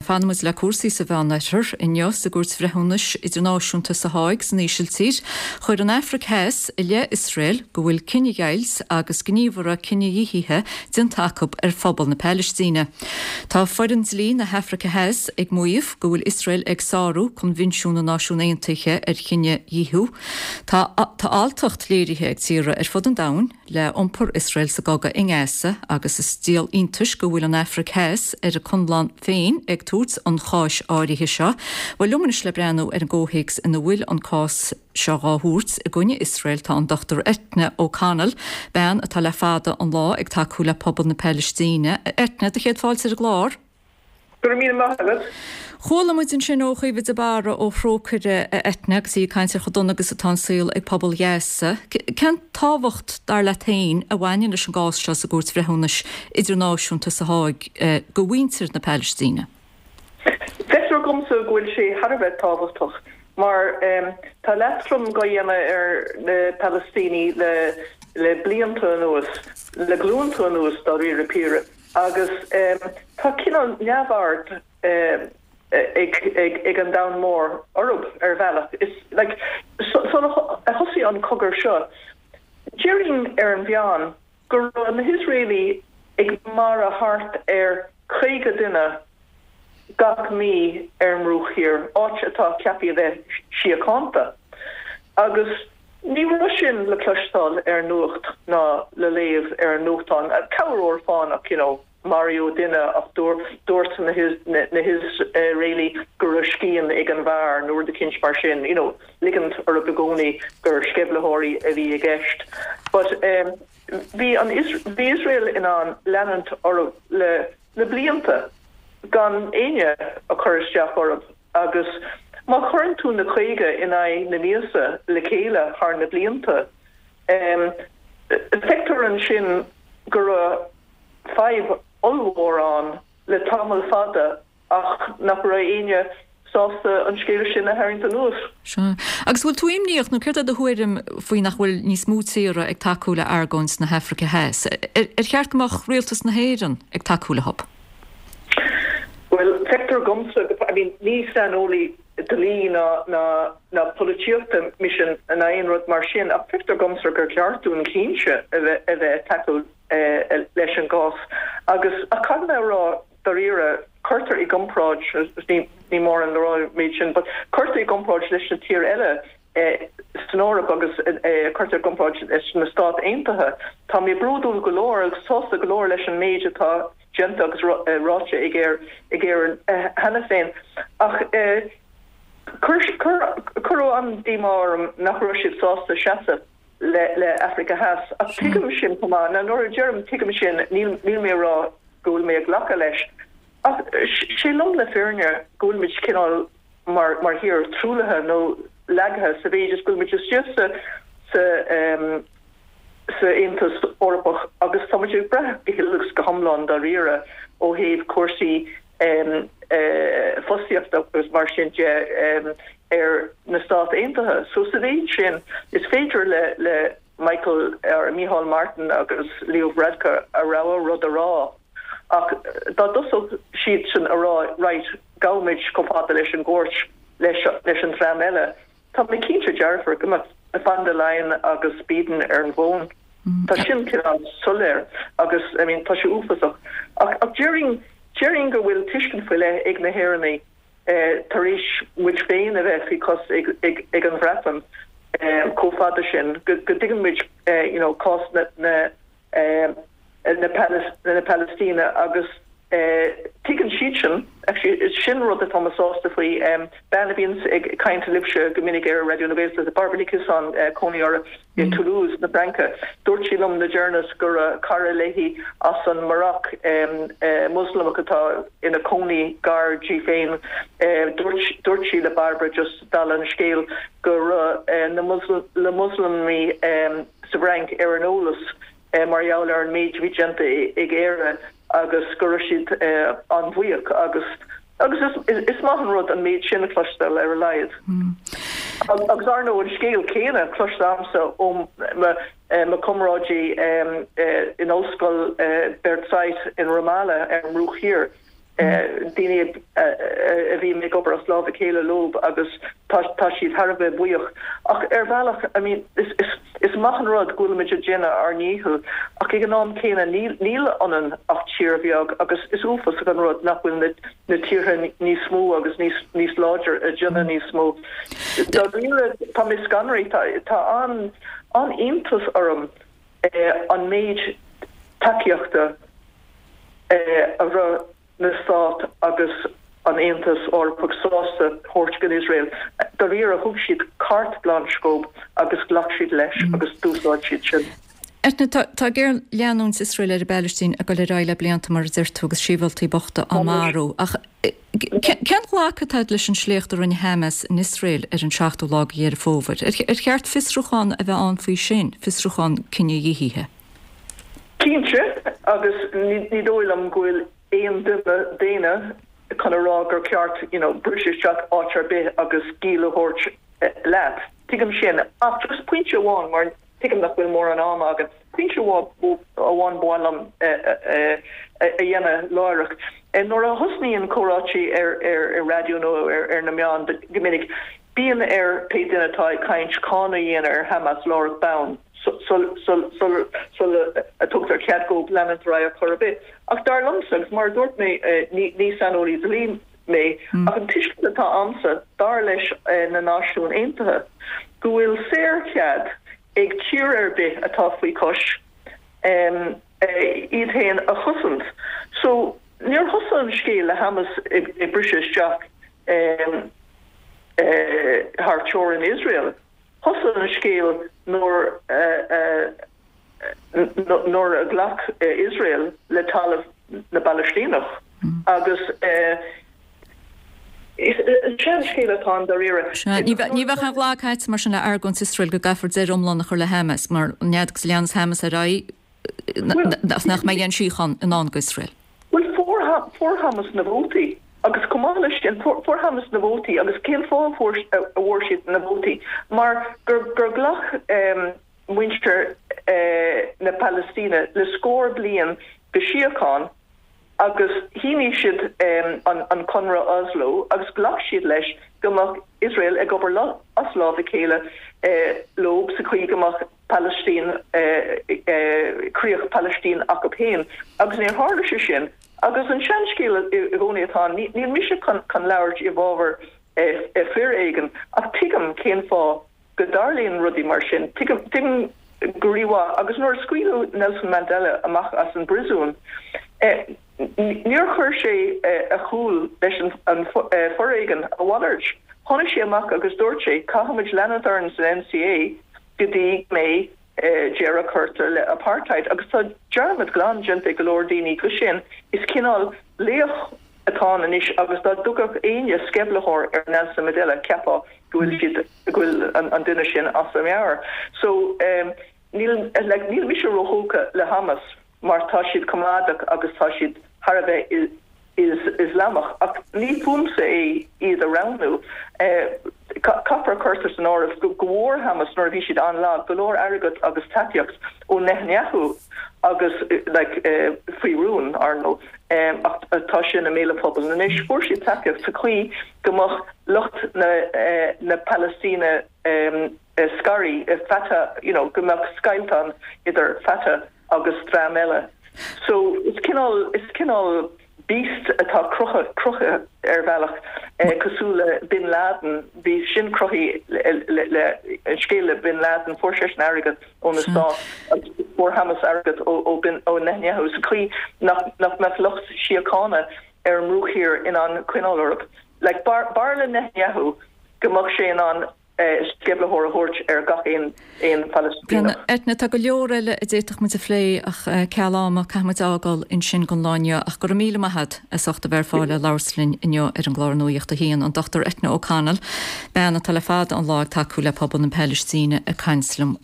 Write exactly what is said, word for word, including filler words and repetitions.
Fanfaidh muid le cúrsaí sa Mheánoirthear inniu sa gCúirt Bhreithiúnais Idirnáisiúnta sa Háig san Ísiltír, chuir an Afraic Theas i leith Iosrael go bhfuil cinedheighilt agus gníomhartha cinedhíothaithe déanta acu ar phobal na Palaistíne. Tá foireann dlí na hAfraice Theas ag maíomh go bhfuil Iosrael ag sárú Coinbhinsiún na Náisiún Aontaithe ar chinedhíothú. Tá tá alltacht léirithe ag tíortha ar fud an domhain le iompar Iosrael sa gcogadh i nGaza agus is díol iontais go bhfuil an Afraic Theas ar a conlán féin ag tabhairt an cháis áirithe seo. Bhuel liom anois le breathnú ar an gcomhthéacs ina bhfuil an cás seo á thabhairt i gcoinne Iosrael tá an Dochtúir Eithne O'Connell, bean atá le fada an lá ag tacú le pobal na Palaistíne. Eithne, do chéad fáilte ar an gclár. Go raibh míle maith agat. Chuala muid ansin ó Chaoimhe de Barra ó Thrócaire a Eithne agus í ag caint ar chomh dona agus atá an saol ag pobal Ghaza. Cén tábhacht dar leat féin a bhaineann leis an gcás seo sa gCúirt Bhreithiúnais Idirnáisiúnta sa Háig do mhuintir na Palaistíne? Feictear domsa go bhfuil sé thar a bheith tábhachtach mar tá leatrom á dhéanamh ar na Palaistínigh le le blianta anuas, le glúnta anuas dáiríre píre. Agus tá cineál neamhaird ag ag an domhan mór orthu ar bhealach. Is like sular thosaigh an cogadh seo, déarfainn ar an mheán go raibh na hIosraelaigh ag marú thart ar caoga duine gach mí ar an mBruach Thiar, áit atá ceaptha a bheith síochánta. Agus ní raibh sin le cloisteáil ar an nuacht ná le léamh ar an nuachtán. Corruair fánach, you know, maraíodh duine ach dúirt na na hIosraelaigh go raibh scian ag an bhfear nó rud eicínt mar sin, you know, ligint orthu i gcónaí gur sceimhlitheoirí a bhí i gceist. But um, bhí an bhí Israel in ann leanúint orthu le le blianta gan éinne a chur isteach orthu agus má chuireann tú na caoga in aghaidh na míosa le chéile thar na blianta, um, feictear ansin go raibh fadhb ollmhór ann le tamall fada ach nach raibh éinne sásta an scéal sin a tharraingt anuas. Sea. Agus bhfuil tú imníoch nó céard é do thuairim faoi nach bhfuil níos mó tíortha ag tacú le argóint na hAfraice Theas? Ar cheart go mbeadh rialtas na hÉireann ag tacú leo? Well, feictear domsa I mean, ní saineolaí dlí ná ná ná polaitíochta mise ná aon rud mar sin ach feictear domsa gur ceart dúinn cinnte a bheith a bheith tacú eh, leis an gcás agus a cad mé rá daríre cuirtear i gcomparáid ní ní mór an rá méid sin, but cuirtear i gcomparáid leis na tíortha eile eh, san Eoraip agus eh, cuirtear i gcomparáid leis na Stáit Aontaithe. Tá mé bródúil go leor agus sásta go leor leis an méid atá déanta agus ráite ag ar ag ar cheana féin ach eh, chuir an díomá orm nach raibh siad sásta seasamh le le Africa Theas ach tuigim sin chomh maith na nuair a deirim tuigim sin níl níl mé rá go bhfuil mé ag glacadh leis ach sé lom na fírinne go bhfuil muid cineál mar mar thír truaillithe nó lagaithe sa mhéid is go bhfuil muid istigh sa sa um, sa Aontas Eorpach agus tá muid ag brath go huile agus go hiomlán dáiríre ó thaobh cúrsaí um, uh, fostaíochta agus mar sin de um, ar na Stáit Aontaithe. So sa mhéid sin is féidir le le Michael ar Micheál Martin agus Leo Varadkar a rogha rud a rá. Ach dá dtosódh siad sin a rá right gabhaimid chomh fada leis an gcúirt leis leis an dream eile. Tá mé cinnte dearfach go mbeadh von der Leyen agus Biden ar an bhfón. Tá sin cineál soiléir agus I mean, tá sé uafásach. Ach ach déarfainn déarfainn go bhfuil tuiscint faoi leith ag na hÉireannaigh eh, tar éis muid féin a bheith faoi chois ag, ag, ag an Bhreatain eh, chomh fada sin go, go dtuigeann muid eh, you know, cás na, na, eh, na, Palis na Palestíne agus eh, tuigeann siad sin actually sin rud atá mé sásta faoi um, bean a bhíonn ag caint libhse go minic ar Raidió na Gaeltachta Barbara Nic an uh, cónaí uirthi i Toulouse na Fraince. Dúirt sí liom le deireanas gur uh, cara léi as an Maroc um, uh, Muslimach atá ina cónaí gar di féin uh, dúirt sí le Barbara just dála an scéil gur uh, na Muslim, le Muslamaigh um, sa Fhrainc ar an eolas uh, mar gheall ar an méid bhí déanta ag Éire agus go raibh siad uh, an-bhuíoch agus agus is, is, is maith an rud an méid sin a chloisteáil ar a laghad. Mm. Agus ar ndóigh an scéal céanna cloiste agamsa ó mo chomrádaí um, uh, in ollscoil uh, Birzeit in Ramallah ar an mBruach Thiar. Daoine a bhí ag obair as lámh a chéile leo agus tá siad thar a bheith buíoch. Ach ar bhealach, I mean, is, is, is maith an rud go bhfuilimid ag déanamh ár ndícheall, ach ag an am céanna níl, níl ionainn ach tír bheag agus is uafásach an rud nach bhfuil na, na tíortha níos mó agus níos, níos láidir ag déanamh níos mó. Dáiríre, tá mé scanraithe, tá, tá an, an iontas orm eh, an méid tacaíochta eh, a raibh na Stáit agus an Aontas Eorpach sásta thabhairt don Iosrael. Dáiríre thug siad carte blanche dóibh agus ghlac siad leis agus d'úsáid siad sin. Eithne, tá géarleanúint Iosrael ar an bPalaistín ag dul ar aghaidh le blianta mar a deir tú agus sibhialtaigh bochta á marú. Ach cén ghlacadh atá agat leis an sléacht a rinne Hamas in Iosrael ar an seachtú lá de Dheireadh Fómhair? Ar cheart fiosrúchán a bheith ann faoi sin, fiosrúchán cinedhíothaithe? Cinnte, agus ní dóigh liom go bhfuil aon duine daonna chun a rá gur ceart you know, briseadh isteach áit ar bith agus giall a thabhairt leat. Tuigim sin ach just pointe amháin mar tuigim nach bhfuil mórán ama againn. Pointe amháin ba mhaith liom a dhéanamh láithreach. Nuair a thosnaíonn comhráití ar ar ar raidió nó ar ar na meáin go minic, bíonn ar pé duine atá ag caint cáineadh a dhéanamh ar Hamas láithreach bonn. sula a tugtar cead dóibh leanúint ar aghaidh ar chor ar bith. Ach dar liomsa, agus mar a dúirt mé ní saineolaí dlí mé, ach an tuiscint atá agamsa dar leis na Náisiúin Aontaithe go bhfuil saorchead ag tír ar bith atá faoi chois iad féin a chosaint. So níor thosaigh an scéal le Hamas ag briseadh isteach thar teorainn Iosrael. Thosaigh an scéal nuair nuair a ghlac Iosrael le talamh na bPalaistíneach agus is seanscéal atá ann dáiríre. Ní bheadh aon ghlacadh agat mar sin le argóint Iosrael go gcaithfear deireadh iomlán a chur le Hamas mar an fhad agus a leanas Hamas ar aghaidh nach mbeidh aon síocháin i ndán d'Iosrael. Bhuel fuair Hamas na vótaí agus chomh maith leis sin fuair Hamas na vótaí agus cén fáth a bhfuair siad na vótaí mar gur gur ghlac muintir na Palaistíne le scór bliain de síocháin agus shínigh siad an Conradh Oslo agus ghlac siad leis go mbeadh Iosrael ag obair as lámh a chéile leo sa chaoi go mbeadh Palaistín críoch Palaistín acu féin agus níor tharla sé sin agus an seanscéal i gcónaí atá ann níl mise chun labhairt i bhfabhar foréigin ach tuigim cén fáth go dtarlaíonn rudaí mar sin. Tuigim go rímhaith agus nuair a scaoileadh Nelson Mandela amach as an bpríosún níor chuir sé a chúl leis an foréigean a mhalairt. Tháinig sé amach agus dúirt sé caithfimid leanúint orainn san N C A go dtí go mbeidh deireadh curtha le apartheid agus tá dearmad glan déanta ag go leor daoine go sin is cineál laoch atá ann anois agus dá dtugadh éinne sceimhlitheoir ar Nelson Mandela cheapfá go bhfuil siad go bhfuil an duine sin as a meabhair. So níl like níl mise róthógtha le Hamas mar tá siad coimeádach agus tá siad thar a bheith Ioslamach ach ní fúmsa é iad a roghnú. Caithfear a chur san áireamh go bhfuair Hamas nuair a bhí siad an-lag go leor airgead agus tacaíocht ó Netanyahu agus like faoi rún ar ndóigh ach tá sin i mbéal an phobail anois. Fuair siad tacaíocht sa chaoi go mbeadh lucht na na Palaistíne scartha Fatah you know go mbeadh scoilt ann idir Fatah agus dream eile. So is cineál is cineál beast atá cruthaithe ar bhealach cosúil le Bin Laden, bhí sin cruthaithe le le an scéal le Bin Laden fuair seisean airgead ó na Stáit agus fuair Hamas airgead ó ó Bin ó Netanyahu sa chaoi nach nach mbeadh lucht síochána ar an mBruach Thiar in ann coinneáil orthu. Like b'fhearr le Netanyahu go mbeadh sé in ann sceimhlitheoir a thabhairt ar gach aon aon Phalaistíneach. Eithne, tá go leor eile a d'fhéadfadh muid a phlé ach ceal ama caithfidh muid fhágáil ansin don lá inniu ach go raibh míle maith agat as ucht a bheith ar fáil le labhairt linn inniu ar an gclár Nuacht a hAon an Dochtúir Eithne O'Connell, bean atá le fada an lá ag tacú le pobal na Palaistíne ag caint liom.